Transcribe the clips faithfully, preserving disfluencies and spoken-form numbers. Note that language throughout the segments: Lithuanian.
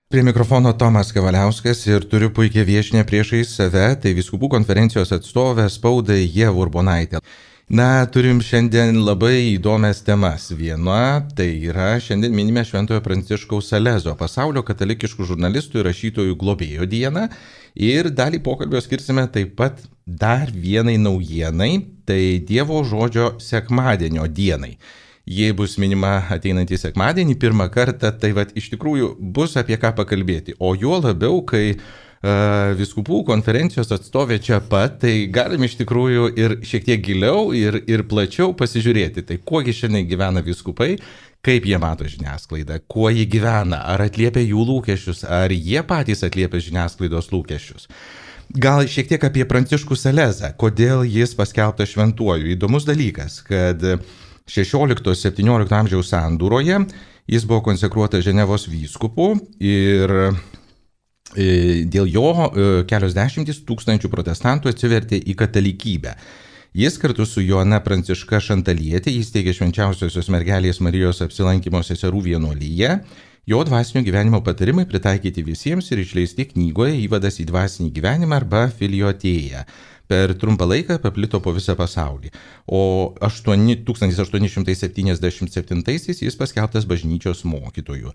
Prie mikrofono Tomas Kavaliauskas ir turiu puikią viešinę priešais save, tai Vyskupų konferencijos atstovė spaudai Ieva Urbonaitė. Na, turim šiandien labai įdomias temas. Viena, tai yra šiandien minime Šventojo Pranciškaus Salezo, pasaulio katalikiškų žurnalistų ir rašytojų globėjo dieną. Ir dalį pokalbio skirsime taip pat dar vienai naujienai, tai Dievo žodžio sekmadienio dienai. Jei bus minima ateinantį sekmadienį pirmą kartą, tai vat, iš tikrųjų bus apie ką pakalbėti. O juo labiau, kai uh, Vyskupų konferencijos atstovė čia pat, tai galim iš tikrųjų ir šiek tiek giliau ir, ir plačiau pasižiūrėti. Tai kuogi šiandien gyvena vyskupai, kaip jie mato žiniasklaidą, kuo jie gyvena, ar atliepia jų lūkesčius, ar jie patys atliepia žiniasklaidos lūkesčius. Gal šiek tiek apie Pranciškų Salezą, kodėl jis paskelbtas šventuoju. Įdomus dalykas, kad šešiolikto septyniolikto amžiaus sandūroje jis buvo konsekruotas Ženevos vyskupu ir dėl jo kelios dešimtys tūkstančių protestantų atsivertė į katalikybę. Jis kartu su Joana Pranciška Šantalietė įsteigė Švenčiausiosios mergelės Marijos apsilankymo seserų vienuolyje. Jo dvasinio gyvenimo patarimai pritaikyti visiems ir išleisti knygoje Įvadas į dvasinį gyvenimą arba Filiotėja. Per trumpą laiką paplito po visą pasaulį, o tūkstantis aštuoni šimtai septyniasdešimt septintaisiais jis paskelbtas bažnyčios mokytoju.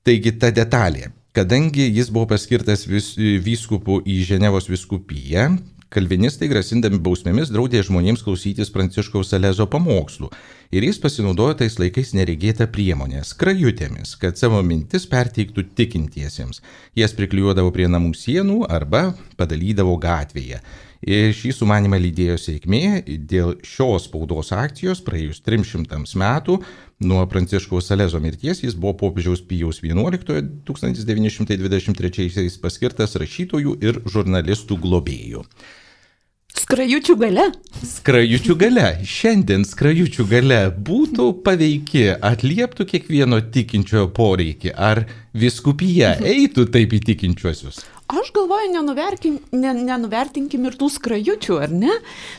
Taigi ta detalė, kadangi jis buvo paskirtas vis, vyskupu į Ženevos vyskupiją, kalvinistai grasindami bausmėmis draudė žmonėms klausytis Pranciškaus Salezo pamokslų ir jis pasinaudojo tais laikais neregėtą priemonę – skrajutėmis, kad savo mintis perteiktų tikintiesiems. Jas priklijuodavo prie namų sienų arba padalydavo gatvėje. Ir šį sumanimą lydėjo sėkmė. Dėl šios spaudos akcijos praėjus trims šimtams metų nuo Pranciškaus Salezo mirties jis buvo popiežiaus Pijaus vienuoliktojo tūkstantis devyni šimtai dvidešimt trečiaisiais paskirtas rašytojų ir žurnalistų globėjų. Skrajučių gale? Skrajučių gale. Šiandien skrajučių gale būtų paveiki, atlieptų kiekvieno tikinčiojo poreikį. Ar vyskupija eitų taip į tikinčiuosius? Aš galvoju, nenuvertinkim, ne, nenuvertinkim ir tų skrajučių, ar ne?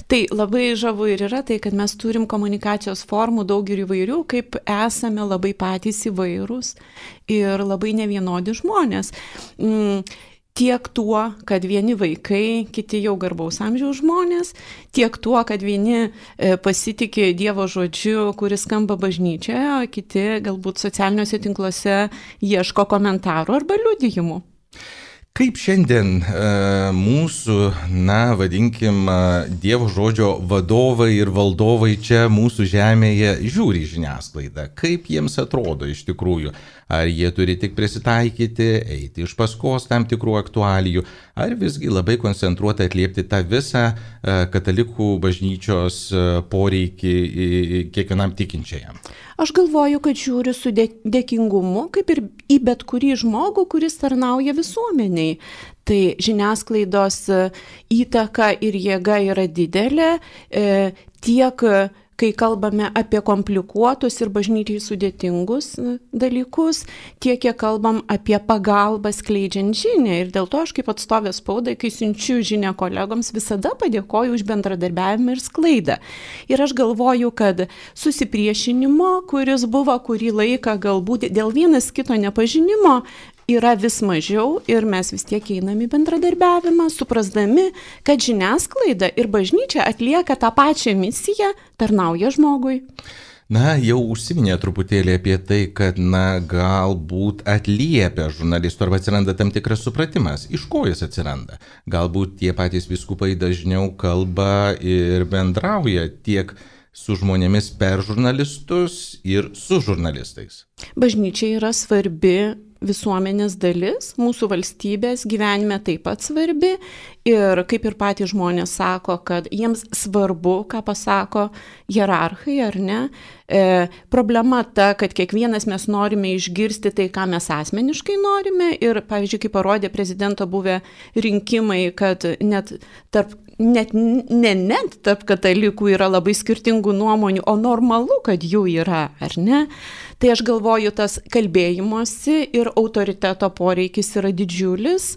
Tai labai žavu ir yra tai, kad mes turim komunikacijos formų daug ir įvairių, kaip esame labai patys įvairūs ir labai nevienodi žmonės. Mm. Tiek tuo, kad vieni vaikai, kiti jau garbaus amžiaus žmonės, tiek tuo, kad vieni pasitikė Dievo žodžiu, kuris skamba bažnyčioje, o kiti galbūt socialiniuose tinkluose ieško komentarų arba liudijimų. Kaip šiandien e, mūsų, na, vadinkim, Dievo žodžio vadovai ir valdovai čia mūsų žemėje žiūri žiniasklaidą? Kaip jiems atrodo iš tikrųjų? Ar jie turi tik prisitaikyti, eiti iš paskos tam tikrų aktualijų, ar visgi labai koncentruoti atliepti tą visą e, katalikų bažnyčios e, poreikį kiekvienam tikinčiajam? Aš galvoju, kad žiūri su dėkingumu, kaip ir į bet kurį žmogų, kuris tarnauja visuomeniai. Tai žiniasklaidos įtaka ir jėga yra didelė, e, tiek kai kalbame apie komplikuotus ir bažnyčiai sudėtingus dalykus, tiek kiek kalbam apie pagalbą skleidžiant žinią. Ir dėl to aš kaip atstovė spaudai, kai siunčiu žinią kolegoms, visada padėkoju už bendradarbiavimą ir sklaidą. Ir aš galvoju, kad susipriešinimo, kuris buvo kurį laiką galbūt dėl vienas kito nepažinimo, yra vis mažiau ir mes vis tiek einam į bendradarbiavimą, suprasdami, kad žiniasklaida ir bažnyčia atlieka tą pačią misiją, tarnauja žmogui. Na, jau užsiminė truputėlį apie tai, kad, na, galbūt atliepia žurnalistų arba atsiranda tam tikras supratimas. Iš ko jis atsiranda? Galbūt tie patys vyskupai dažniau kalba ir bendrauja tiek su žmonėmis per žurnalistus ir su žurnalistais. Bažnyčia yra svarbi visuomenės dalis, mūsų valstybės gyvenime taip pat svarbi ir kaip ir patys žmonės sako, kad jiems svarbu, ką pasako hierarchai, ar ne. E, problema ta, kad kiekvienas mes norime išgirsti tai, ką mes asmeniškai norime ir, pavyzdžiui, kaip parodė prezidento buvę rinkimai, kad net tarp Net, ne net tarp katalikų yra labai skirtingų nuomonių, o normalu, kad jų yra, ar ne? Tai aš galvoju, tas kalbėjimosi ir autoriteto poreikis yra didžiulis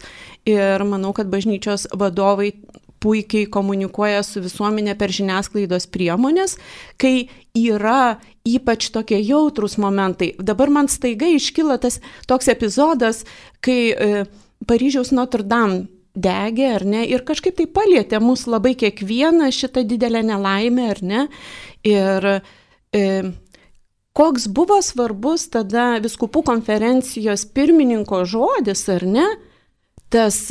ir manau, kad bažnyčios vadovai puikiai komunikuoja su visuomenė per žiniasklaidos priemonės, kai yra ypač tokie jautrus momentai. Dabar man staiga iškyla tas toks epizodas, kai e, Paryžiaus Notre Dame degė, ar ne, ir kažkaip tai palietė mus labai kiekvieną šitą didelę nelaimę, ar ne. Ir e, koks buvo svarbus tada vyskupų konferencijos pirmininko žodis, ar ne, tas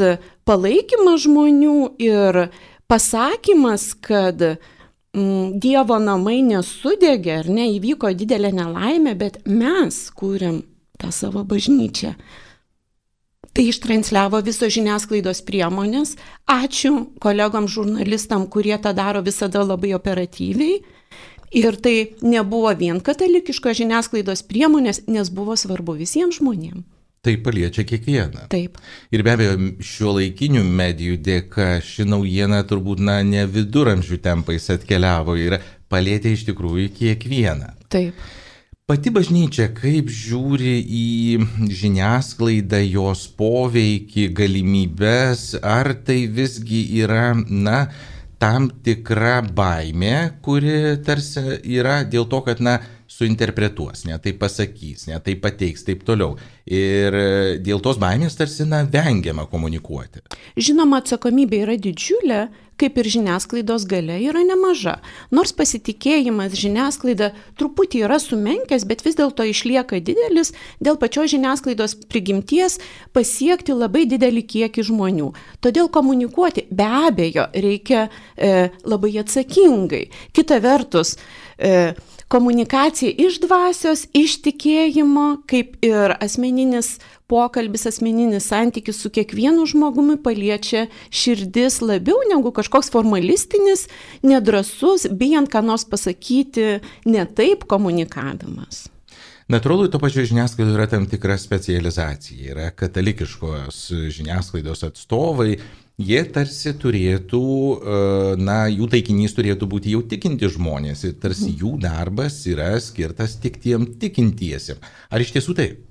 palaikymas žmonių ir pasakymas, kad mm, Dievo namai nesudegė, ar ne, įvyko didelė nelaimė, bet mes kūrėm tą savo bažnyčią. Tai ištransliavo visos žiniasklaidos priemonės. Ačiū kolegom žurnalistam, kurie tą daro visada labai operatyviai. Ir tai nebuvo vien katalikiškos žiniasklaidos priemonės, nes buvo svarbu visiems žmonėms. Tai paliečia kiekvieną. Taip. Ir be abejo, šiuolaikinių medijų dėka ši naujiena turbūt na, ne viduramžių tempais atkeliavo ir palietė iš tikrųjų kiekvieną. Taip. Pati bažnyčia kaip žiūri į žiniasklaidą, jos poveikį, galimybės, ar tai visgi yra, na, tam tikra baimė, kuri tarsi yra dėl to, kad, na, suinterpretuos, ne tai pasakys, ne tai pateiks, taip toliau. Ir dėl tos baimės tarsi, na, vengiama komunikuoti. Žinoma, atsakomybė yra didžiulė, kaip ir žiniasklaidos galia yra nemaža. Nors pasitikėjimas žiniasklaida truputį yra sumenkęs, bet vis dėlto išlieka didelis dėl pačios žiniasklaidos prigimties pasiekti labai didelį kiekį žmonių. Todėl komunikuoti be abejo reikia e, labai atsakingai. Kita vertus, e, komunikacija iš dvasios, iš tikėjimo, kaip ir asmeninis pokalbis, asmeninis santykis su kiekvienu žmogumi paliečia širdis labiau negu kažkoks formalistinis, nedrasus, bijant ką nors pasakyti, ne taip komunikavimas. Natūralu, to pačiu žiniasklaidoje yra tam tikra specializacija, yra katalikiškos žiniasklaidos atstovai. Jie tarsi turėtų, na, jų taikinys turėtų būti jau tikinti žmonės ir tarsi jų darbas yra skirtas tik tiem tikintiesiem. Ar iš tiesų taip?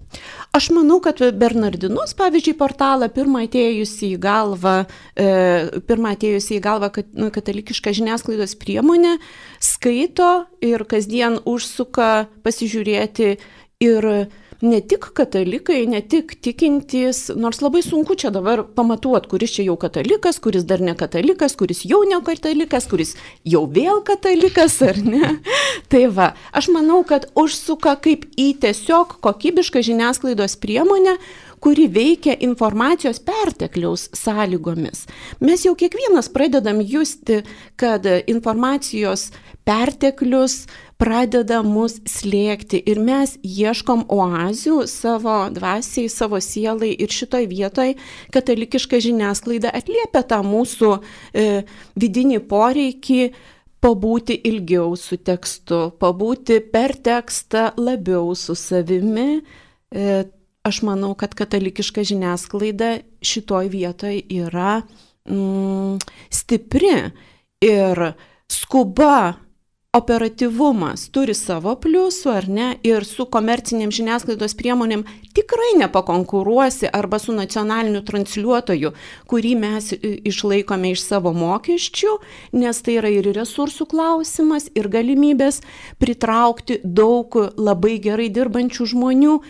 Aš manau, kad Bernardinus, pavyzdžiui, portalą pirmą atėjusi į galvą, e, pirmą atėjusi į galvą kat, katalikišką žiniasklaidos priemonę, skaito ir kasdien užsuka pasižiūrėti ir ne tik katalikai, ne tik tikintys, nors labai sunku čia dabar pamatuoti, kuris čia jau katalikas, kuris dar ne katalikas, kuris jau ne katalikas, kuris jau vėl katalikas, ar ne. Tai va, aš manau, kad užsuka kaip į tiesiog kokybišką žiniasklaidos priemonę, kuri veikia informacijos pertekliaus sąlygomis. Mes jau kiekvienas pradedam justi, kad informacijos perteklius pradeda mus slėgti ir mes ieškom oazių savo dvasiai, savo sielai ir šitoj vietoj katalikiška žiniasklaida atliepia tą mūsų e, vidinį poreikį pabūti ilgiau su tekstu, pabūti per tekstą labiau su savimi. E, aš manau, kad katalikiška žiniasklaida šitoj vietoj yra mm, stipri ir skuba, operatyvumas turi savo pliusų, ar ne, ir su komercinėm žiniasklaidos priemonėm tikrai nepakonkuruosi arba su nacionaliniu transliuotoju, kurį mes išlaikome iš savo mokesčių, nes tai yra ir resursų klausimas, ir galimybės pritraukti daug labai gerai dirbančių žmonių,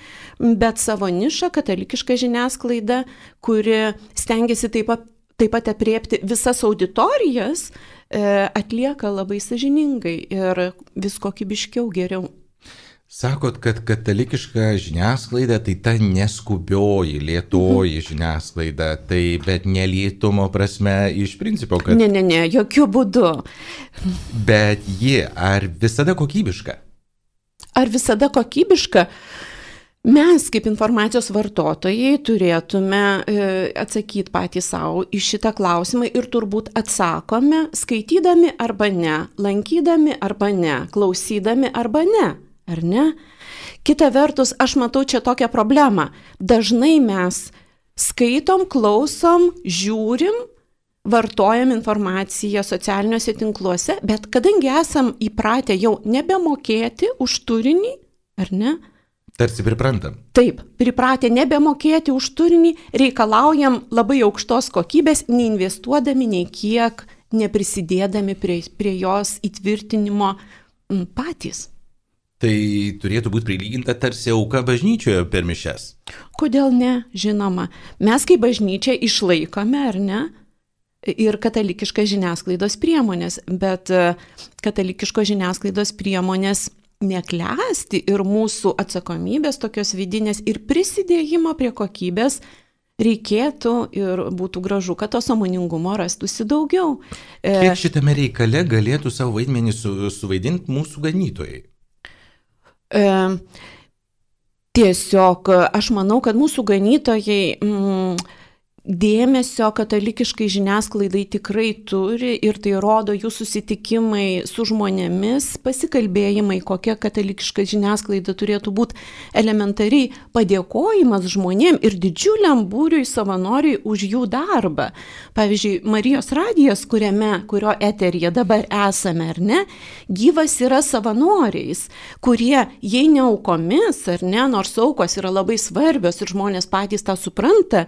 bet savo nišą katalikiška žiniasklaida, kuri stengiasi taip pat, taip pat apriepti visas auditorijas, atlieka labai sąžiningai ir vis kokybiškiau geriau. Sakot, kad katalikiška žiniasklaida tai ta neskubioji, lėtoji žiniasklaida, tai bet nelėtumo prasme iš principo, kad... Ne, ne, ne, jokių būdų. Bet ji ar visada kokybiška? Ar visada kokybiška? Mes kaip informacijos vartotojai turėtume e, atsakyti patys savo į šitą klausimą ir turbūt atsakome skaitydami arba ne, lankydami arba ne, klausydami arba ne, ar ne? Kita vertus, aš matau čia tokią problemą. Dažnai mes skaitom, klausom, žiūrim, vartojam informaciją socialiniuose tinkluose, bet kadangi esam įpratę jau nebemokėti už turinį, ar ne? Tarsi priprantam. Taip, pripratę nebemokėti už turinį, reikalaujam labai aukštos kokybės, neinvestuodami nei kiek, neprisidėdami prie, prie jos įtvirtinimo patys. Tai turėtų būti prilyginta tarsi auka bažnyčioje per mišias. Kodėl ne? Žinoma. Mes kaip bažnyčia išlaikome, ar ne? Ir katalikiškas žiniasklaidos priemonės, bet katalikiškos žiniasklaidos priemonės neklesti ir mūsų atsakomybės tokios vidinės ir prisidėjimo prie kokybės reikėtų ir būtų gražu, kad to sąmoningumo rastųsi daugiau. Kiek šitame reikale galėtų savo vaidmenį su, suvaidinti mūsų ganytojai? E, tiesiog aš manau, kad mūsų ganytojai mm, dėmesio katalikiškai žiniasklaidai tikrai turi ir tai rodo jų susitikimai su žmonėmis, pasikalbėjimai, kokia katalikiška žiniasklaida turėtų būti, elementariai padėkojimas žmonėm ir didžiuliam būriui savanoriui už jų darbą. Pavyzdžiui, Marijos radijas, kuriame, kurio eteryje dabar esame, ar ne, gyvas yra savanoriais, kurie, jei ne aukomis, ar ne, nors aukos yra labai svarbios ir žmonės patys tą supranta,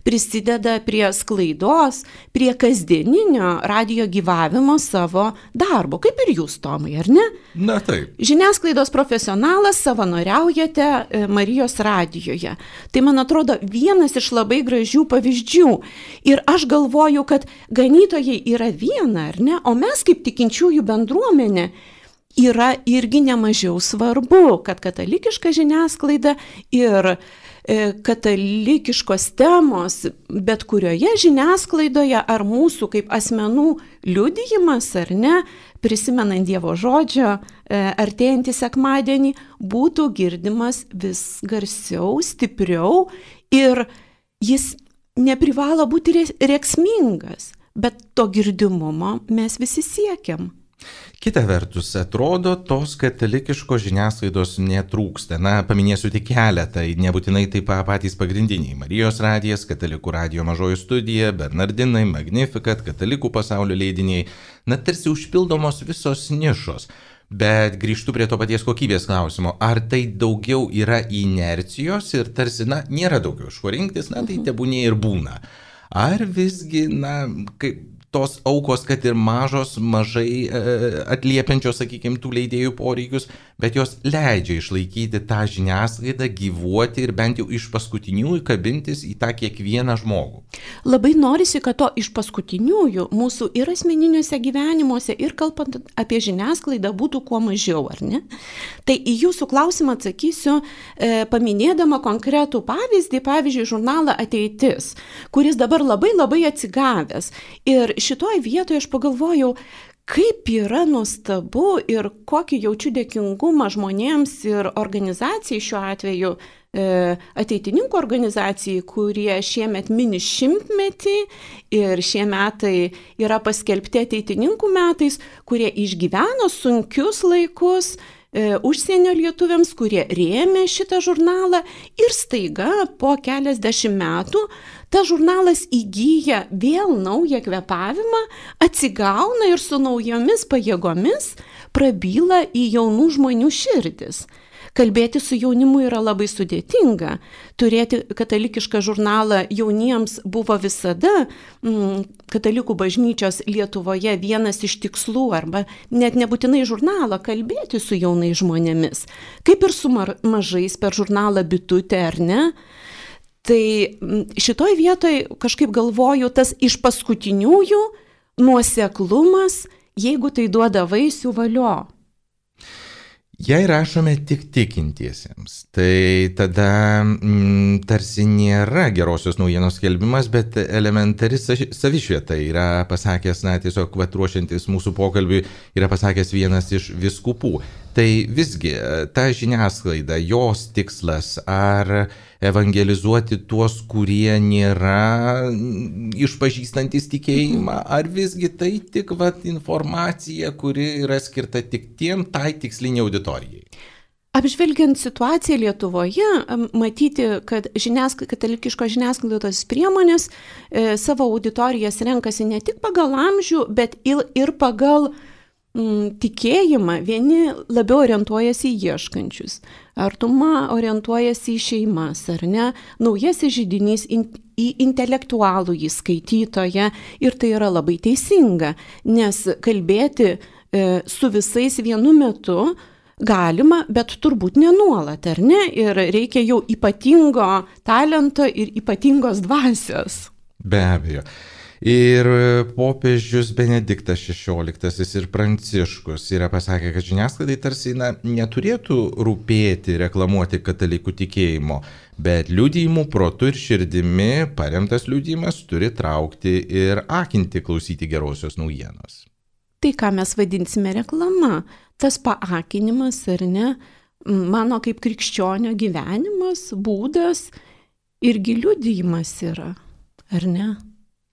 prisideda prie sklaidos, prie kasdieninio radijo gyvavimo savo darbo, kaip ir jūs, Tomai, ar ne? Na taip. Žiniasklaidos profesionalas, savanoriaujate Marijos radijoje. Tai, man atrodo, vienas iš labai gražių pavyzdžių. Ir aš galvoju, kad ganytojai yra viena, ar ne? O mes kaip tikinčiųjų bendruomenė yra irgi nemažiau svarbu, kad katalikiška žiniasklaida ir katalikiškos temos, bet kurioje žiniasklaidoje ar mūsų kaip asmenų liudijimas, ar ne, prisimenant Dievo žodžio artėjantį sekmadienį, būtų girdimas vis garsiau, stipriau ir jis neprivalo būti rėksmingas, bet to girdimumo mes visi siekiam. Kita vertus, atrodo, tos katalikiškos žiniasklaidos netrūksta. Na, paminėsiu tik keletą, nebūtinai taip patys pagrindiniai. Marijos radijas, Katalikų radijo mažoji studija, Bernardinai, Magnificat, Katalikų pasaulio leidiniai. Na, tarsi užpildomos visos nišos. Bet grįžtu prie to paties kokybės klausimo. Ar tai daugiau yra inercijos ir tarsi, na, nėra daugiau iš ko rinktis, na, tai tebūnė ir būna. Ar visgi, na, kaip tos aukos, kad ir mažos, mažai e, atliepiančios, sakykime, tų leidėjų poreikius, bet jos leidžia išlaikyti tą žiniasklaidą, gyvuoti ir bent jau iš paskutiniųjų kabintis į tą kiekvieną žmogų. Labai norisi, kad to iš paskutiniųjų mūsų ir asmeniniuose gyvenimuose, ir kalbant apie žiniasklaidą būtų kuo mažiau, ar ne? Tai į jūsų klausimą atsakysiu, e, paminėdama konkretų pavyzdį, pavyzdžiui, žurnalą Ateitis, kuris dabar labai labai atsigavęs. Ir šitoj vietoje aš pagalvojau, kaip yra nuostabu ir kokį jaučiu dėkingumą žmonėms ir organizacijai, šiuo atveju e, ateitininkų organizacijai, kurie šiemet mini šimtmetį ir šie metai yra paskelbti ateitininkų metais, kurie išgyveno sunkius laikus e, užsienio lietuviams, kurie rėmė šitą žurnalą ir staiga po keliasdešimt metų tas žurnalas įgyja vėl naują kvėpavimą, atsigauna ir su naujomis pajėgomis prabyla į jaunų žmonių širdis. Kalbėti su jaunimu yra labai sudėtinga. Turėti katalikišką žurnalą jauniems buvo visada mm, katalikų bažnyčios Lietuvoje vienas iš tikslų, arba net nebūtinai žurnalą, kalbėti su jaunais žmonėmis. Kaip ir su mar- mažais per žurnalą Bitutė, ar ne? Tai šitoj vietoj kažkaip galvoju, tas iš paskutiniųjų nuoseklumas, jeigu tai duoda vaisių, valio. Jei rašome tik tikintiesiems, tai tada mm, tarsi nėra gerosios naujienos skelbimas, bet elementari savišvieta yra pasakęs, na tiesiog vat, ruošiantis mūsų pokalbiui, yra pasakęs vienas iš vyskupų. Tai visgi ta žiniasklaida, jos tikslas ar evangelizuoti tuos, kurie nėra išpažįstantis tikėjimą, ar visgi tai tik vat, informacija, kuri yra skirta tik tiem tai tiksliniai auditorijai? Apžvelgiant situaciją Lietuvoje, matyti, kad žiniask... katalikiškos žiniasklaidos priemonės e, savo auditorijas renkasi ne tik pagal amžių, bet ir, ir pagal mm, tikėjimą vieni labiau orientuojasi į ieškančius, artuma orientuojasi į šeimas, ar ne, naujasis židinys in, į intelektualų į skaitytoją ir tai yra labai teisinga, nes kalbėti e, su visais vienu metu galima, bet turbūt nenuolat, ar ne, ir reikia jau ypatingo talento ir ypatingos dvasios. Be abejo. Ir popiežius Benediktas šešioliktasis ir Pranciškus yra pasakę, kad žiniasklaidai tarsi na, neturėtų rūpėti reklamuoti katalikų tikėjimo, bet liudijimų protu ir širdimi paremtas liudijimas turi traukti ir akinti klausyti gerosios naujienos. Tai ką mes vadinsime reklama, tas paakinimas ar ne, mano kaip krikščionio gyvenimas, būdas irgi liudijimas yra, ar ne?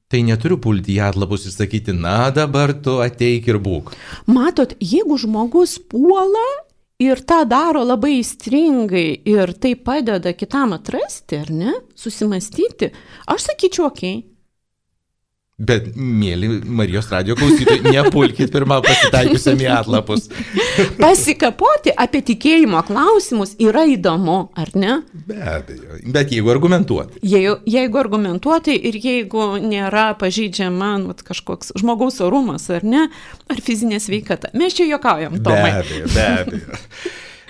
Tai neturiu pulti į atlapus ir sakyti, na dabar tu ateik ir būk. Matot, jeigu žmogus puola ir tą daro labai įstringai ir tai padeda kitam atrasti, ar ne, susimastyti, aš sakyčiau, okei. Okay. Bet, mėly Marijos radijo klausytojai, nepulkit pirmą pasitaikiusiam į atlapus. Pasikapoti apie tikėjimo klausimus yra įdomu, ar ne? Be abejo, bet jeigu argumentuoti. Jeigu, jeigu argumentuoti ir jeigu nėra pažeidžiama nu, kažkoks žmogaus orumas, ar ne, ar fizinė sveikata. Mes čia juokaujam, Tomai. Be abejo, be abejo.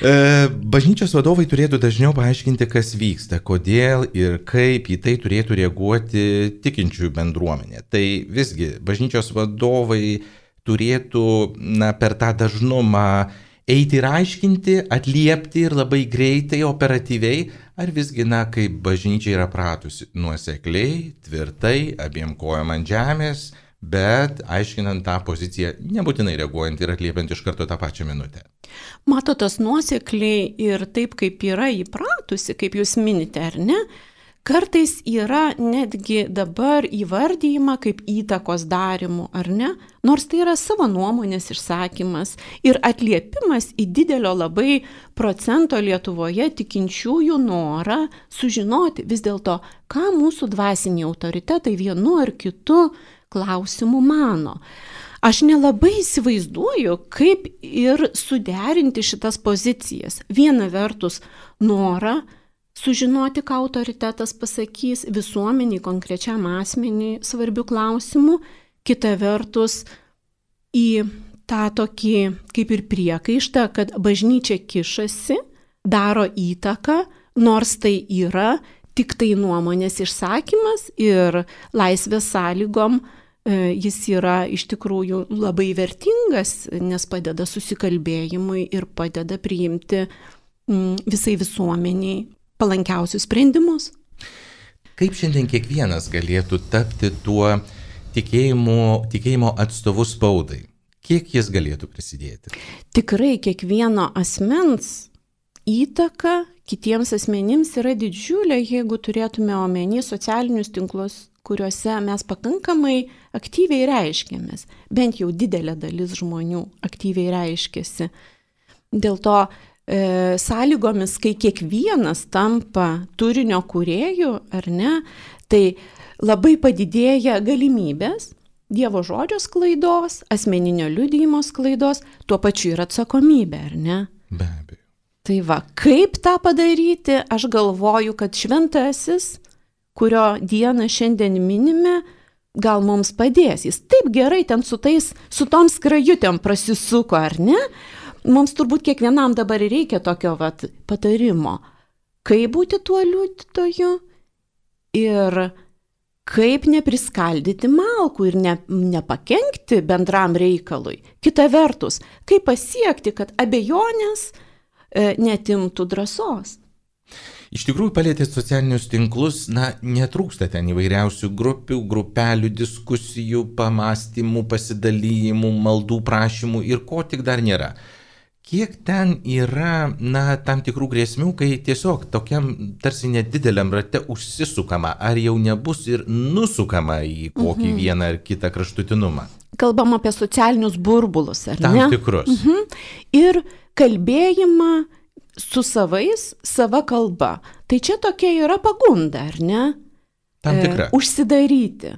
Bažnyčios vadovai turėtų dažniau paaiškinti, kas vyksta, kodėl ir kaip į tai turėtų reaguoti tikinčiųjų bendruomenė. Tai visgi bažnyčios vadovai turėtų na, per tą dažnumą eiti ir aiškinti, atliepti ir labai greitai, operatyviai, ar visgi, na, kaip bažnyčia yra pratusi nuosekliai, tvirtai, abiem kojom ant žemės, bet aiškinant tą poziciją, nebūtinai reaguojant ir atliepiant iš karto tą pačią minutę. Matot, tas nuosekliai ir taip, kaip yra įpratusi, kaip jūs minite, ar ne, kartais yra netgi dabar įvardyjama kaip įtakos darimų, ar ne, nors tai yra savo nuomonės išsakymas ir atliepimas į didelio labai procento Lietuvoje tikinčiųjų norą sužinoti vis dėlto, ką mūsų dvasiniai autoritetai vienu ar kitu klausimų mano. Aš nelabai įsivaizduoju, kaip ir suderinti šitas pozicijas. Viena vertus norą sužinoti, ką autoritetas pasakys visuomeniai, konkrečiam asmeniui svarbių klausimų, kita vertus į tą tokį kaip ir priekaištą, kad bažnyčia kišasi, daro įtaką, nors tai yra tik tai nuomonės išsakymas ir laisvės sąlygom jis yra iš tikrųjų labai vertingas, nes padeda susikalbėjimui ir padeda priimti visai visuomeniai palankiausius sprendimus. Kaip šiandien kiekvienas galėtų tapti tuo tikėjimo, tikėjimo atstovu spaudai? Kiek jis galėtų prisidėti? Tikrai kiekvieno asmens įtaka kitiems asmenims yra didžiulė, jeigu turėtume omeny socialinius tinklus, kuriuose mes pakankamai aktyviai reiškiamės. Bent jau didelė dalis žmonių aktyviai reiškiasi. Dėl to e, sąlygomis, kai kiekvienas tampa turinio kūrėjų, ar ne, tai labai padidėja galimybės Dievo žodžio sklaidos, asmeninio liudijimo sklaidos, tuo pačiu ir atsakomybė, ar ne? Be abejo. Tai va, kaip tą padaryti, aš galvoju, kad šventasis, kurio dieną šiandien minime, gal mums padės. Jis taip gerai ten su tais, su tom skrajutėm prasisuko, ar ne? Mums turbūt kiekvienam dabar reikia tokio vat, patarimo. Kaip būti tuo liudytoju ir kaip nepriskaldyti malkų ir ne, nepakenkti bendram reikalui. Kita vertus, kaip pasiekti, kad abejonės e, netimtų drąsos. Iš tikrųjų, palėtėt socialinius tinklus, na, netrūksta ten įvairiausių grupių, grupelių, diskusijų, pamastymų, pasidalijimų, maldų prašymų ir ko tik dar nėra. Kiek ten yra, na, tam tikrų grėsmių, kai tiesiog tokiam tarsi nedideliam rate užsisukama, ar jau nebus ir nusukama į kokį mhm. vieną ar kitą kraštutinumą? Kalbam apie socialinius burbulus, ar tam ne? Tam tikrus. Mhm. Ir kalbėjimą su savais, sava kalba. Tai čia tokia yra pagunda, ar ne? Tam tikra. E, užsidaryti.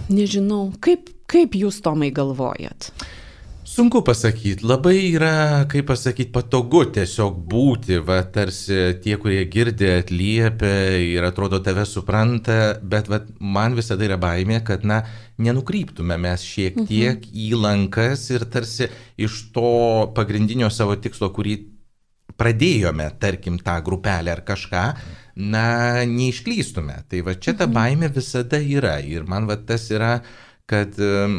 Nežinau, kaip, Kaip jūs, Tomai, galvojat? Sunku pasakyti, labai yra, kaip pasakyti, patogu tiesiog būti, va, tarsi tie, kurie girdi, atliepia ir atrodo tave supranta, bet va, man visada yra baimė, kad, na, nenukryptume mes šiek tiek mhm. į lankas ir tarsi iš to pagrindinio savo tikslo, kurį pradėjome, tarkim, tą grupelę ar kažką, na, neišklystume. Tai va, čia ta baimė visada yra ir man va, tas yra, kad um,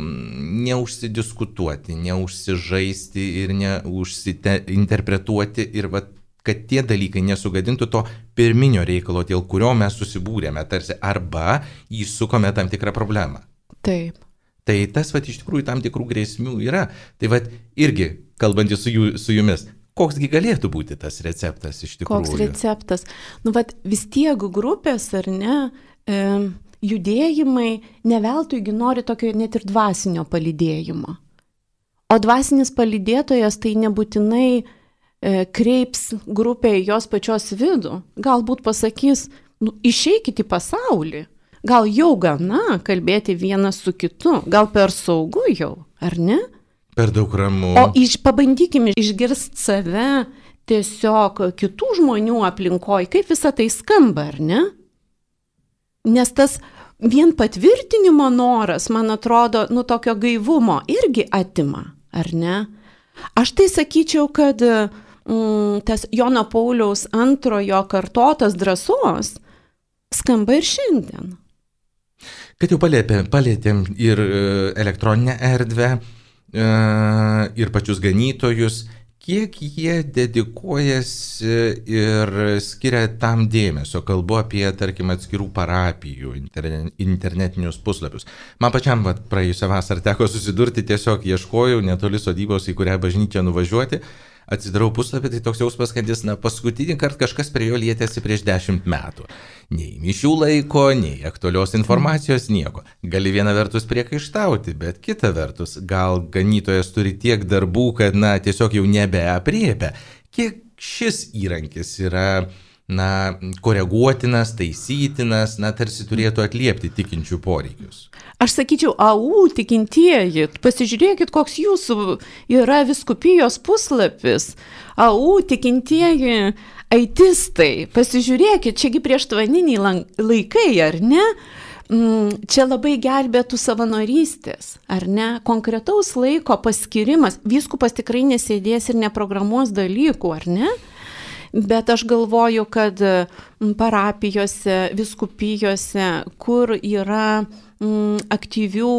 neužsidiskutuoti, neužsižaisti ir neužsinterpretuoti ir va, kad tie dalykai nesugadintų to pirminio reikalo, dėl kurio mes susibūrėme, tarsi arba įsukome tam tikrą problemą. Taip. Tai tas va, iš tikrųjų tam tikrų grėsmių yra. Tai va, irgi, kalbantys su, jų, su jumis, koksgi galėtų būti tas receptas iš tikrųjų? Koks receptas? Nu, va, vis tiek grupės, ar ne, e, judėjimai neveltuigi nori tokio net ir dvasinio palydėjimo. O dvasinis palydėtojas tai nebūtinai e, kreips grupę į jos pačios vidų. Galbūt pasakys, nu, išeikit į pasaulį. Gal jau gana kalbėti vienas su kitu. Gal per saugu jau, ar ne? Per daug ramu. O iš, pabandykime išgirsti save tiesiog kitų žmonių aplinkoj, kaip visa tai skamba, ar ne? Nes tas vien patvirtinimo noras, man atrodo, nu tokio gaivumo irgi atima, ar ne? Aš tai sakyčiau, kad mm, tas Jono Pauliaus antrojo kartotas drąsos skamba ir šiandien. Kad jau palėtėm, palėtėm ir elektroninę erdvę, ir pačius ganytojus, kiek jie dedikuojasi ir skiria tam dėmesio, kalbu apie, tarkim, atskirų parapijų internetinius puslapius. Man pačiam vat, praėjusią vasarą teko susidurti, tiesiog ieškojau netoli sodybos, į kurią bažnyčią nuvažiuoti, atsidarau puslapį, tai toks jausmas, kad jis, na, paskutinį kartą kažkas prie jo lietėsi prieš dešimt metų. Nei mišių laiko, nei aktualios informacijos, nieko. Gali viena vertus priekaištauti, bet kita vertus, gal ganytojas turi tiek darbų, kad, na, tiesiog jau nebeapriepia. Kiek šis įrankis yra, na, koreguotinas, taisytinas, na, tarsi turėtų atliepti tikinčių poreikius. Aš sakyčiau, au, tikintieji, pasižiūrėkit, koks jūsų yra vyskupijos puslapis. Au, tikintieji aitistai, pasižiūrėkit, čiagi prieštvaniniai laikai, ar ne? Čia labai gelbėtų savanorystės, ar ne? Konkretaus laiko paskirimas. Vyskupas tikrai nesėdės ir neprogramuos dalykų, ar ne? Bet aš galvoju, kad parapijose, vyskupijose, kur yra mm, aktyvių,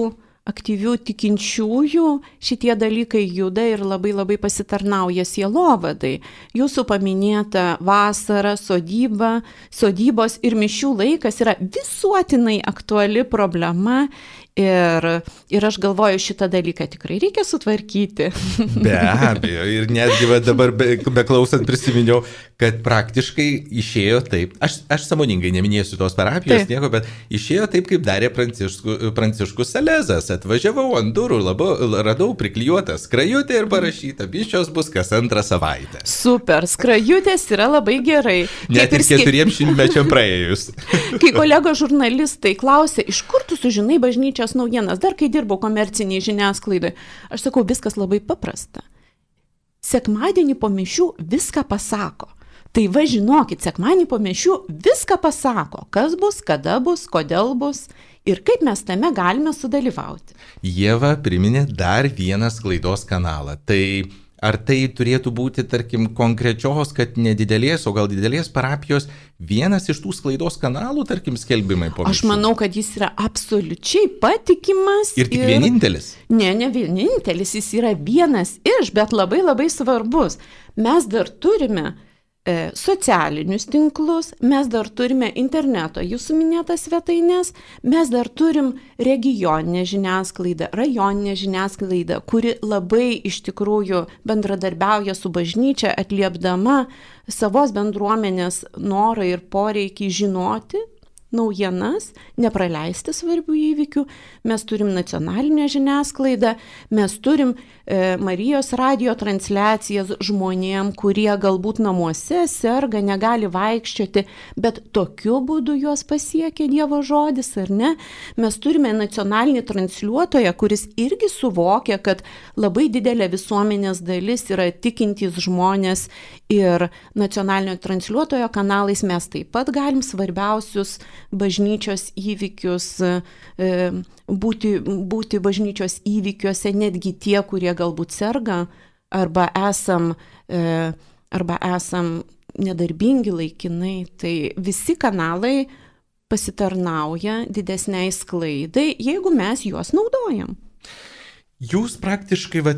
aktyvių tikinčiųjų, šitie dalykai juda ir labai labai pasitarnauja sielovadai. Jūsų paminėta vasara, sodyba, sodybos ir mišių laikas yra visuotinai aktuali problema. Ir, ir aš galvoju, šitą dalyką tikrai reikia sutvarkyti. Be abejo, ir netgi va dabar be, beklausant prisiminiau, kad praktiškai išėjo taip, aš, aš sąmoningai neminėsiu tos parapijos taip. Nieko, bet išėjo taip, kaip darė Pranciškus, Pranciškus Salezas. Atvažiavau ant durų, labo, radau priklijuotą skrajutę ir parašyta, mišios bus kas antrą savaitę. Super, skrajutės yra labai gerai. Net ir keturiems šimtmečiam praėjus. Kai kolegos žurnalistai klausė, iš kur tu sužinai bažnyčios naujienas, dar kai dirbau komerciniai žiniasklaidai, aš sakau, viskas labai paprasta. Sekmadienį po mišių viską pasako. Tai va žinokit, sekmadienį po mišių viską pasako, kas bus, kada bus, kodėl bus ir kaip mes tame galime sudalyvauti. Ieva priminė dar vieną sklaidos kanalą. Tai ar tai turėtų būti, tarkim, konkrečios, kad nedidelės, o gal didelės parapijos vienas iš tų sklaidos kanalų, tarkim, skelbimai po mišių? Aš manau, kad jis yra absoliučiai patikimas. Ir tik ir... vienintelis? Ne, ne vienintelis, jis yra vienas iš, bet labai labai svarbus. Mes dar turime e, socialinius tinklus, mes dar turime interneto, jūsų minėtas svetainės, mes dar turim regioninę žiniasklaidą, rajoninę žiniasklaidą, kuri labai iš tikrųjų bendradarbiauja su bažnyčia, atliepdama savos bendruomenės norą ir poreikį žinoti naujienas, nepraleisti svarbių įvykių. Mes turim nacionalinę žiniasklaidą, mes turim e, Marijos radijo transliacijas žmonėm, kurie galbūt namuose serga, negali vaikščioti, bet tokiu būdu juos pasiekia Dievo žodis, ar ne? Mes turime nacionalinį transliuotoją, kuris irgi suvokia, kad labai didelė visuomenės dalis yra tikintys žmonės ir nacionalinio transliuotojo kanalais mes taip pat galim svarbiausius bažnyčios įvykius, būti, būti bažnyčios įvykiuose, netgi tie, kurie galbūt serga, arba esam, arba esam nedarbingi laikinai. Tai visi kanalai pasitarnauja didesniai sklaidai, jeigu mes juos naudojam. Jūs praktiškai, va,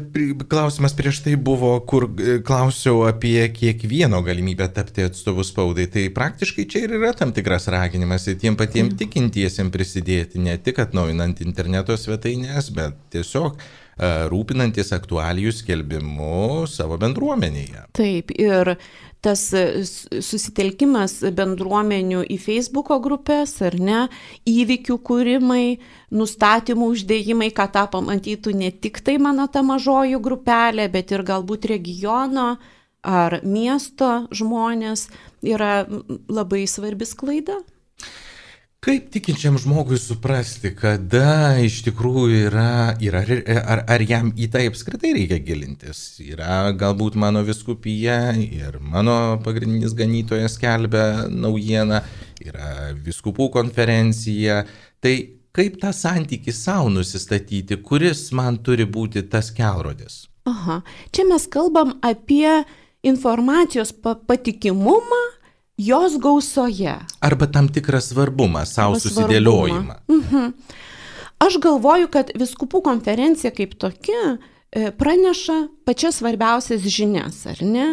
klausimas prieš tai buvo, kur klausiau apie kiekvieno galimybę tapti atstovu spaudai, tai praktiškai čia ir yra tam tikras raginimas ir tiem patiem mm. tikintiesiem prisidėti, ne tik atnaujinant interneto svetainės, bet tiesiog uh, rūpinantis aktualijų skelbimu savo bendruomenėje. Taip, ir tas susitelkimas bendruomenių į Facebooko grupės, ar ne, įvykių kūrimai, nustatymų uždėjimai, ką tą pamatytų ne tik tai mano ta mažoji grupelė, bet ir galbūt regiono ar miesto žmonės, yra labai svarbi sklaida. Kaip tikinčiam žmogui suprasti, kada iš tikrųjų yra, yra ar, ar jam į tai apskritai reikia gilintis? Yra galbūt mano vyskupija ir mano pagrindinis ganytojas skelbia naujieną, yra vyskupų konferencija. Tai kaip tą santykį savo nusistatyti, kuris man turi būti tas kelrodis? Aha, čia mes kalbam apie informacijos patikimumą, jos gausoje. Arba tam tikrą svarbumą, savo susidėliojimą. Mhm. Aš galvoju, kad vyskupų konferencija kaip tokia praneša pačias svarbiausias žinias, ar ne?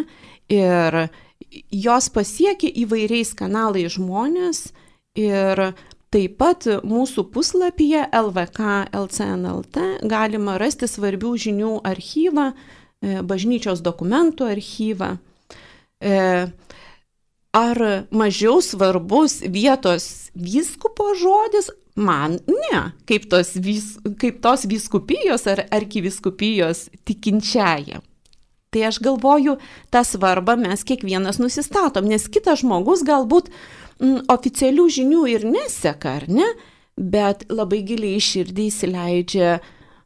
Ir jos pasiekia įvairiais kanalais žmonės ir taip pat mūsų puslapyje L V K L C N L T galima rasti svarbių žinių archyvą, bažnyčios dokumentų archyvą. Ar mažiau svarbus vietos vyskupo žodis? Man ne, kaip tos, vis, kaip tos vyskupijos ar arkivyskupijos tikinčiajam. Tai aš galvoju, tą svarbą mes kiekvienas nusistatom, nes kitas žmogus galbūt m, oficialių žinių ir neseka, ar ne, bet labai giliai širdį įsileidžia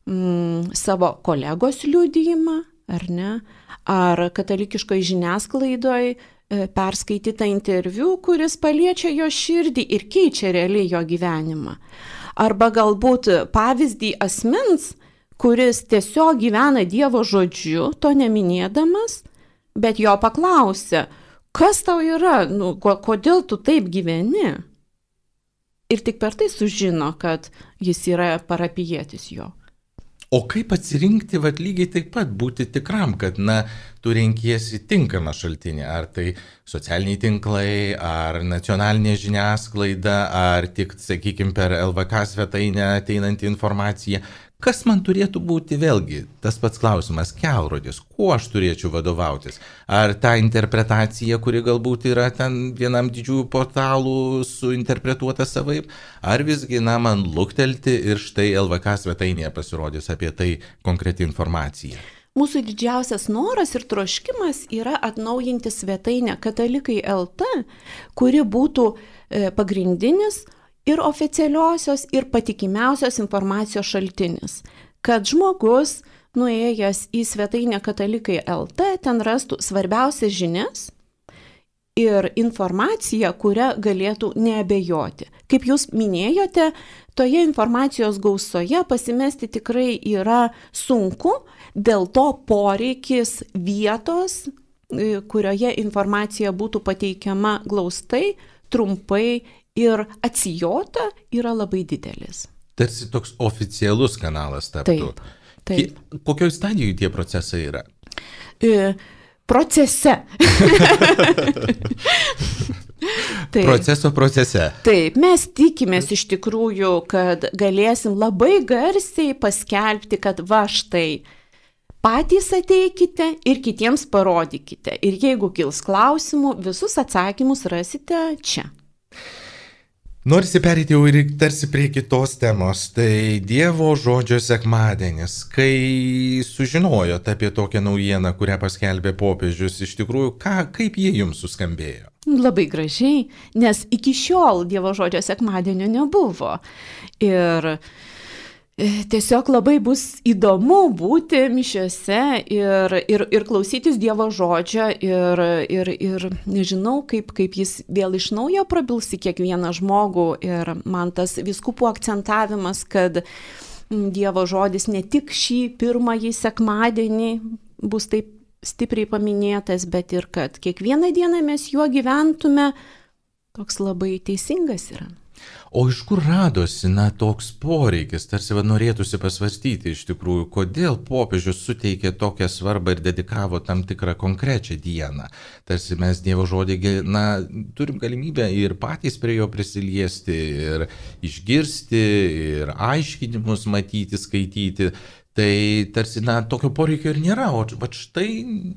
m, savo kolegos liudijimą, ar ne, ar katalikiškoje žiniasklaidoje perskaitytą interviu, kuris paliečia jo širdį ir keičia realiai jo gyvenimą. Arba galbūt pavyzdį asmens, kuris tiesiog gyvena Dievo žodžiu, to neminėdamas, bet jo paklausia, kas tau yra, nu, kodėl tu taip gyveni? Ir tik per tai sužino, kad jis yra parapijietis jo. O kaip atsirinkti, vat, lygiai taip pat būti tikram, kad, na, tu renkiesi tinkamą šaltinį, ar tai socialiniai tinklai, ar nacionalinė žiniasklaida, ar tik, sakykime, per L V K svetainę ateinanti informacija. Kas man turėtų būti, vėlgi, tas pats klausimas, kelrodis, kuo aš turėčiau vadovautis? Ar ta interpretacija, kuri galbūt yra ten vienam didžiųjų portalų suinterpretuota savaip, ar visgi, na, man luktelti ir štai L V K svetainėje pasirodys apie tai konkreti informacija? Mūsų didžiausias noras ir troškimas yra atnaujinti svetainę Katalikai L T, kuri būtų pagrindinis ir oficialiosios, ir patikimiausios informacijos šaltinis, kad žmogus, nuėjęs į svetainę Katalikai L T, ten rastų svarbiausias žinias ir informaciją, kurią galėtų neabejoti. Kaip jūs minėjote, toje informacijos gausoje pasimesti tikrai yra sunku, dėl to poreikis vietos, kurioje informacija būtų pateikiama glaustai, trumpai ir atsijota, yra labai didelis. Tarsi toks oficialus kanalas taptų. Taip, taip. Kokioj stadijoje tie procesai yra? E, procese. Taip. Proceso procese. Taip, mes tikimės iš tikrųjų, kad galėsim labai garsiai paskelbti, kad va štai, patys ateikite ir kitiems parodykite. Ir jeigu kils klausimų, visus atsakymus rasite čia. Norisi perėti jau ir tarsi prie kitos temos, tai Dievo žodžio sekmadienis. Kai sužinojot apie tokią naujieną, kurią paskelbė popiežius, iš tikrųjų, ką, kaip jie jums suskambėjo? Labai gražiai, nes iki šiol Dievo žodžio sekmadienio nebuvo. Ir tiesiog labai bus įdomu būti mišiose ir, ir, ir klausytis Dievo žodžio ir, ir, ir nežinau, kaip, kaip jis vėl iš naujo prabils į kiekvieną žmogų. Ir man tas vyskupų akcentavimas, kad Dievo žodis ne tik šį pirmąjį sekmadienį bus taip stipriai paminėtas, bet ir kad kiekvieną dieną mes juo gyventume, toks labai teisingas yra. O iš kur radosi, na, toks poreikis, tarsi va, norėtųsi pasvarstyti iš tikrųjų, kodėl popiežius suteikė tokią svarbą ir dedikavo tam tikrą konkrečią dieną. Tarsi mes Dievo žodį, na, turim galimybę ir patys prie jo prisiliesti, ir išgirsti, ir aiškinimus matyti, skaityti. Tai tarsi, na, tokio poreikio ir nėra, o bet štai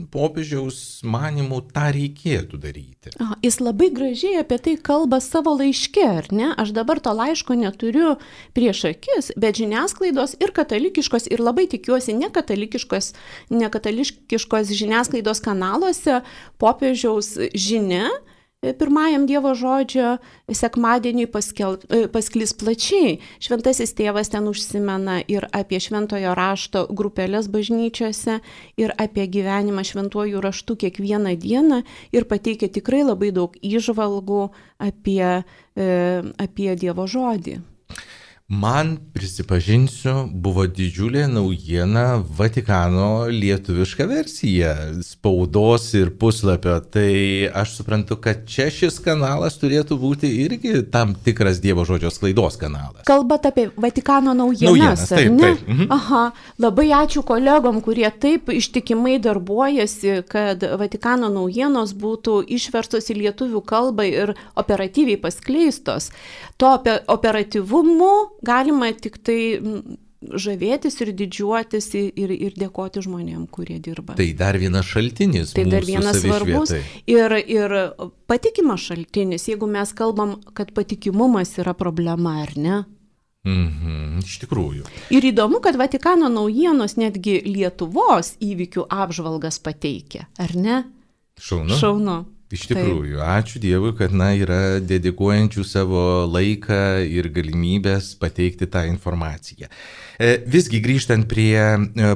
popiežiaus manimų tą reikėtų daryti. O, jis labai gražiai apie tai kalba savo laiške, ar ne? Aš dabar to laiško neturiu prieš akis, bet žiniasklaidos ir katalikiškos, ir labai tikiuosi nekatalikiškos, nekatalikiškos žiniasklaidos kanaluose popiežiaus žinia pirmajam Dievo žodžio sekmadieniui paskel, pasklis plačiai. Šventasis tėvas ten užsimena ir apie šventojo rašto grupelės bažnyčiose, ir apie gyvenimą šventuoju raštu kiekvieną dieną, ir pateikia tikrai labai daug įžvalgų apie, apie Dievo žodį. Man, prisipažinsiu, buvo didžiulė naujiena Vatikano lietuviška versija spaudos ir puslapio. Tai aš suprantu, kad čia šis kanalas turėtų būti irgi tam tikras Dievo žodžio sklaidos kanalas. Kalbat apie Vatikano naujienas, naujienas taip, ar ne? Taip. Mhm. Aha, labai ačiū kolegom, kurie taip ištikimai darbuojasi, kad Vatikano naujienos būtų išverstos į lietuvių kalbą ir operatyviai paskleistos. To operatyvumu galima tik tai žavėtis ir didžiuotis ir, ir dėkoti žmonėm, kurie dirba. Tai dar vienas šaltinis. Tai dar vienas svarbus ir, ir patikimas šaltinis, jeigu mes kalbam, kad patikimumas yra problema, ar ne? Mhm, iš tikrųjų. Ir įdomu, kad Vatikano naujienos netgi Lietuvos įvykių apžvalgas pateikia, ar ne? Šaunu. Šaunu. Iš tikrųjų, ačiū Dievui, kad na, yra dedikuojančių savo laiką ir galimybės pateikti tą informaciją. Visgi grįžtant prie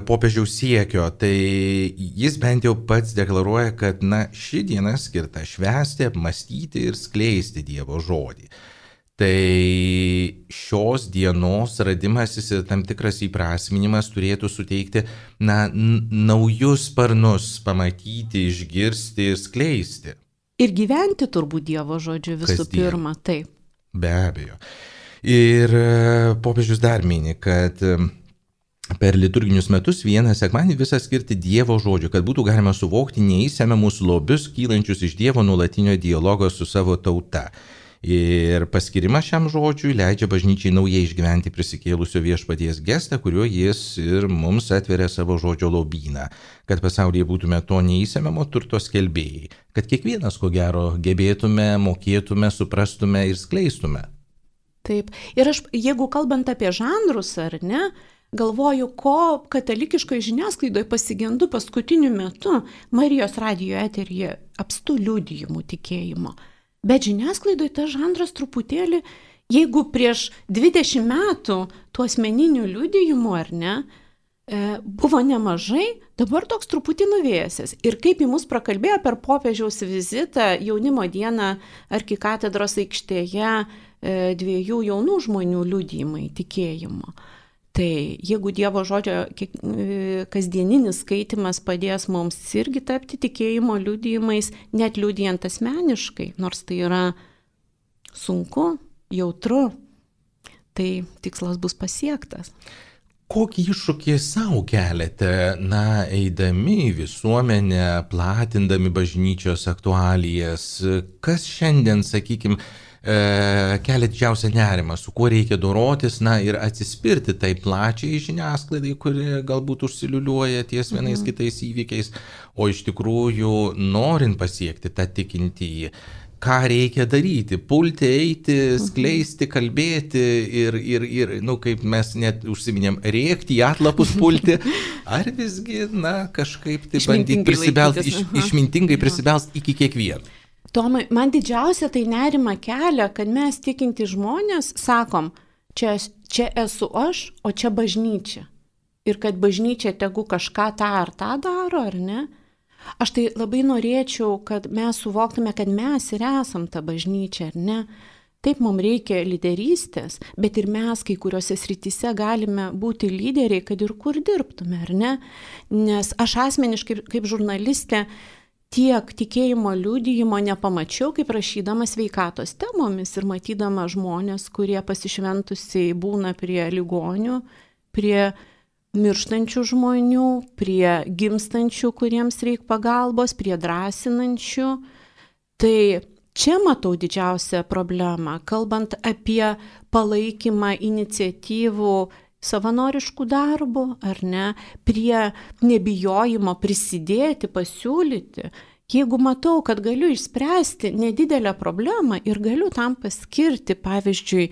popiežiaus siekio, tai jis bent jau pats deklaruoja, kad na, ši diena skirta švęsti, apmąstyti ir skleisti Dievo žodį. Tai šios dienos radimasis ir tam tikras įprasminimas turėtų suteikti na, naujus sparnus, pamatyti, išgirsti ir skleisti. Ir gyventi turbūt Dievo žodžiu visų Kasdien. Pirma, taip. Be abejo. Ir popiežius dar mini, kad per liturginius metus vieną sekmadienį visą skirti Dievo žodžiu, kad būtų galima suvokti neįsemiamus lobius kylančius iš Dievo nuolatinio dialogo su savo tauta. Ir paskirimas šiam žodžiui leidžia bažnyčiai naujai išgyventi prisikėlusio viešpaties gestą, kuriuo jis ir mums atveria savo žodžio lobyną, kad pasaulyje būtume to neįsemiamo turto skelbėjai, kad kiekvienas, ko gero, gebėtume, mokėtume, suprastume ir skleistume. Taip. Ir aš, jeigu kalbant apie žanrus, ar ne, galvoju, ko katalikiškoje žiniasklaidoje pasigendu paskutiniu metu Marijos radijo eteryje apstu liudijimų tikėjimo. Bet žiniasklaidoje tas žanras truputėlį, jeigu prieš dvidešimt metų tų asmeninių liudijimų, ar ne, buvo nemažai, dabar toks truputį nuvėjęs. Ir kaip į mus prakalbėjo per popiežiaus vizitą jaunimo dieną arkikatedros aikštėje dviejų jaunų žmonių liudijimai tikėjimo. Tai jeigu Dievo žodžio kasdieninis skaitimas padės mums irgi tapti tikėjimo liudijimais, net liudijant asmeniškai, nors tai yra sunku, jautru, tai tikslas bus pasiektas. Kokį iššūkį savo keliate, na, eidami į visuomenę, platindami bažnyčios aktualijas, kas šiandien, sakykime, kelia didžiausią nerimą, su kuo reikia dorotis, na ir atsispirti tai plačiai žiniasklaidai, kuri galbūt užsiliuliuoja ties vienais mhm. kitais įvykiais, o iš tikrųjų norint pasiekti tą tikintįjį, ką reikia daryti, pulti, eiti, skleisti, kalbėti ir, ir, ir nu, kaip mes net užsiminėm, rėkti, į atlapus pulti, ar visgi, na, kažkaip tai bandyti prisibelsti, iš, išmintingai prisibelsti iki kiekvieno. Tomai, man didžiausia tai nerima kelia, kad mes tikinti žmonės sakom, čia, čia esu aš, o čia bažnyčia. Ir kad bažnyčia tegu kažką tą ar tą daro, ar ne? Aš tai labai norėčiau, kad mes suvoktume, kad mes ir esam ta bažnyčia, ar ne? Taip, mums reikia lyderystės, bet ir mes kai kuriuose srityse galime būti lyderiai, kad ir kur dirbtume, ar ne? Nes aš asmeniškai kaip žurnalistė tiek tikėjimo liudijimo nepamačiau, kaip rašydama sveikatos temomis ir matydama žmonės, kurie pasišventusiai būna prie ligonių, prie mirštančių žmonių, prie gimstančių, kuriems reikia pagalbos, prie drąsinančių. Tai čia matau didžiausią problemą, kalbant apie palaikymą iniciatyvų savanoriškų darbų, ar ne, prie nebijojimo prisidėti, pasiūlyti. Jeigu matau, kad galiu išspręsti nedidelę problemą ir galiu tam paskirti, pavyzdžiui,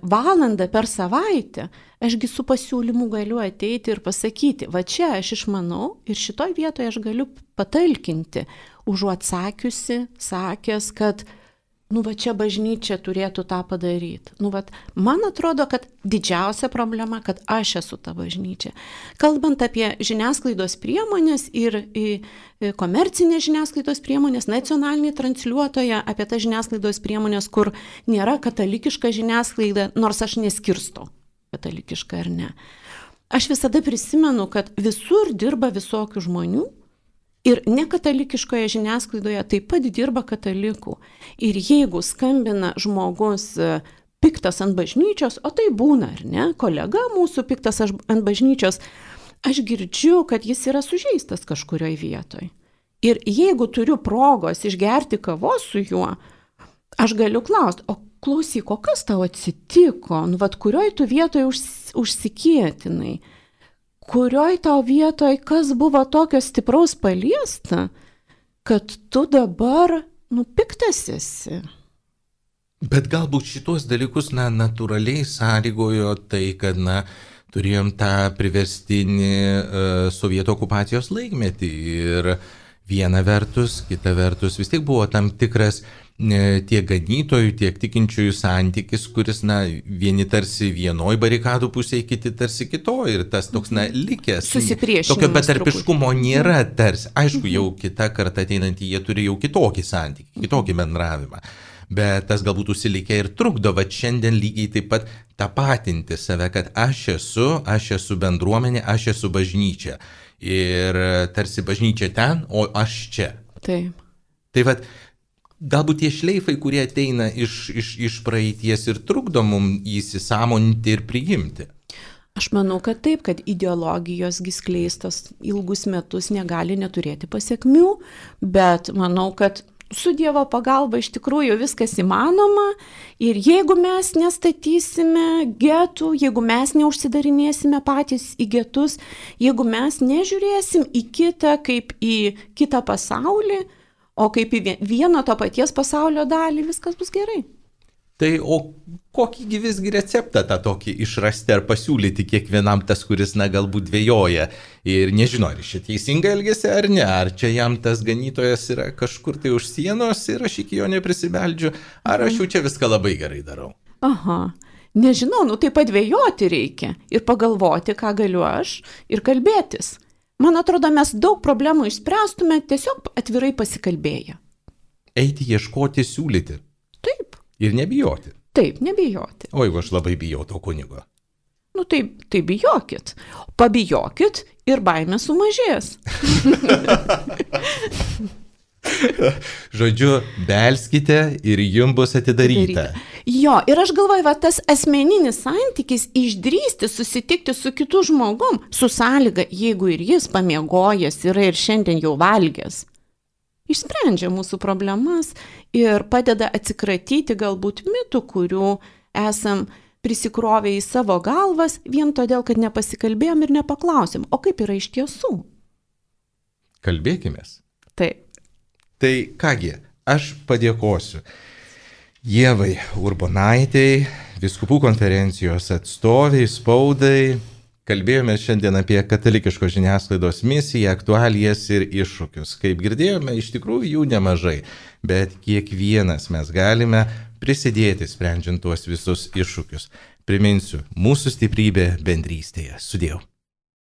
valandą per savaitę, ašgi su pasiūlymu galiu ateiti ir pasakyti, va čia aš išmanau ir šitoj vietoje aš galiu patalkinti, užuot sakiusi, sakęs, kad nu va čia bažnyčia turėtų tą padaryti. Nu va, man atrodo, kad didžiausia problema, kad aš esu ta bažnyčia. Kalbant apie žiniasklaidos priemonės ir komercinės žiniasklaidos priemonės, nacionalinį transliuotoją, apie tą žiniasklaidos priemonės, kur nėra katalikiška žiniasklaida, nors aš neskirstau katalikiška ar ne. Aš visada prisimenu, kad visur dirba visokių žmonių, ir nekatalikiškoje žiniasklaidoje taip pat dirba katalikų. Ir jeigu skambina žmogus piktas ant bažnyčios, o tai būna, ar ne, kolega mūsų piktas ant bažnyčios, aš girdžiu, kad jis yra sužeistas kažkurioje vietoje. Ir jeigu turiu progos išgerti kavos su juo, aš galiu klausti, o klausyk, o kas tau atsitiko, nu, vat, kurioj tu vietoje užs, užsikėtinai? Kurioj tau vietoj, kas buvo tokio stipraus paliesta, kad tu dabar, nu, piktas esi. Bet galbūt šitos dalykus, na, natūraliai sąlygojo tai, kad, na, turėjom tą priverstinį uh, sovietų okupacijos laikmetį ir viena vertus, kita vertus vis tiek buvo tam tikras tiek ganytojų, tiek tikinčiųjų santykis, kuris, na, vieni tarsi vienoj barikadų pusėje, kiti tarsi kitoj ir tas toks, na, likęs. Susipriešinimas. Tokio betarpiškumo nėra tarsi. Aišku, jau kita karta ateinantį, jie turi jau kitokį santykį, kitokį bendravimą. Bet tas galbūt užsilikę ir trukdo, va šiandien lygiai taip pat tapatinti save, kad aš esu, aš esu bendruomenė, aš esu bažnyčia. Ir tarsi bažnyčia ten, o aš čia. Taip. Tai va, galbūt tie šleifai, kurie ateina iš, iš, iš praeities ir trukdo mums įsisąmoninti ir priimti. Aš manau, kad taip, kad ideologijos skleistos ilgus metus negali neturėti pasiekmių, bet manau, kad su Dievo pagalba iš tikrųjų viskas įmanoma ir jeigu mes nestatysime getų, jeigu mes neužsidarinėsime patys į getus, jeigu mes nežiūrėsim į kitą kaip į kitą pasaulį, o kaip į vieno to paties pasaulio dalį, viskas bus gerai. Tai o kokį visgi receptą tą tokį išrasti ar pasiūlyti kiekvienam tas, kuris, na, galbūt dvejoja ir nežino, ar čia teisingai elgesi ar ne, ar čia jam tas ganytojas yra kažkur tai už sienos ir aš iki jo neprisibeldžiu, ar aš jau čia viską labai gerai darau. Aha, nežinau, nu taip pat dvejoti reikia ir pagalvoti, ką galiu aš ir kalbėtis. Man atrodo, mes daug problemų išspręstume tiesiog atvirai pasikalbėję. Eiti, ieškoti, siūlyti. Taip. Ir nebijoti. Taip, nebijoti. O jeigu aš labai bijau to kunigo. Nu tai, tai bijokit. Pabijokit ir baimė sumažės. Žodžiu, belskite ir jums bus atidaryta. Jo, ir aš galvoju, va, tas asmeninis santykis išdrįsti susitikti su kitu žmogum, su sąlyga, jeigu ir jis pamiegojęs yra ir šiandien jau valgęs, išsprendžia mūsų problemas ir padeda atsikratyti galbūt mitų, kurių esam prisikrovę į savo galvas, vien todėl, kad nepasikalbėjom ir nepaklausėm, o kaip yra iš tiesų. Kalbėkimės. Taip. Tai kągi, aš padėkosiu Ievai Urbonaitei, Vyskupų konferencijos atstoviai, spaudai. Kalbėjome šiandien apie katalikiškos žiniasklaidos misiją, aktualijas ir iššūkius. Kaip girdėjome, iš tikrųjų jų nemažai, bet kiekvienas mes galime prisidėti sprendžiant tuos visus iššūkius. Priminsiu, mūsų stiprybė bendrystėje. Sudiev.